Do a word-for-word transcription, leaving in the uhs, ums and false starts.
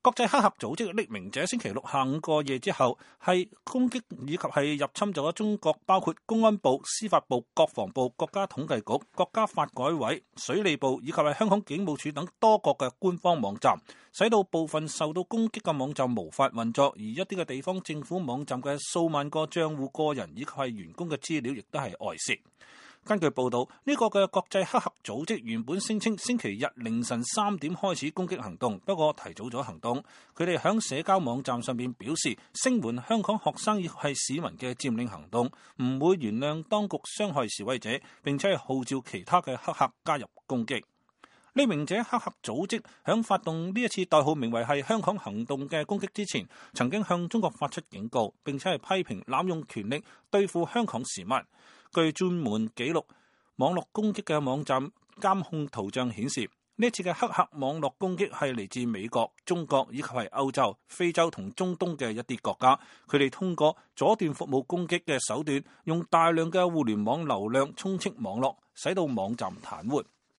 國際黑客組織匿名者星期六下午過夜之後，係攻擊以及係入侵咗中國包括公安部、司法部、國防部、國家統計局、國家發改委、水利部以及係香港警務處等多國嘅官方網站，使到部分受到攻擊嘅網站無法運作，而一啲嘅地方政府網站嘅數萬個賬戶、個人以及係員工嘅資料，亦都係外泄。根據報道，呢個嘅國際黑客組織原本聲稱星期日凌晨三點開始攻擊行動，不過提早咗行動。佢哋響社交網站上面表示，聲援香港學生亦係市民嘅佔領行動，唔會原諒當局傷害示威者，並且係號召其他嘅黑客加入攻擊。匿名者黑客組織響發動呢一次代號名為係香港行動嘅攻擊之前，曾經向中國發出警告，並且係批評濫用權力對付香港市民。據專門記錄網絡攻擊嘅網站監控圖像顯示，呢次嘅黑客網絡攻擊係嚟自美國、中國以及係歐洲、非洲同中東嘅一啲國家。佢哋通過阻斷服務攻擊嘅手段，用大量嘅互聯網流量充斥網絡，使到網站癱瘓。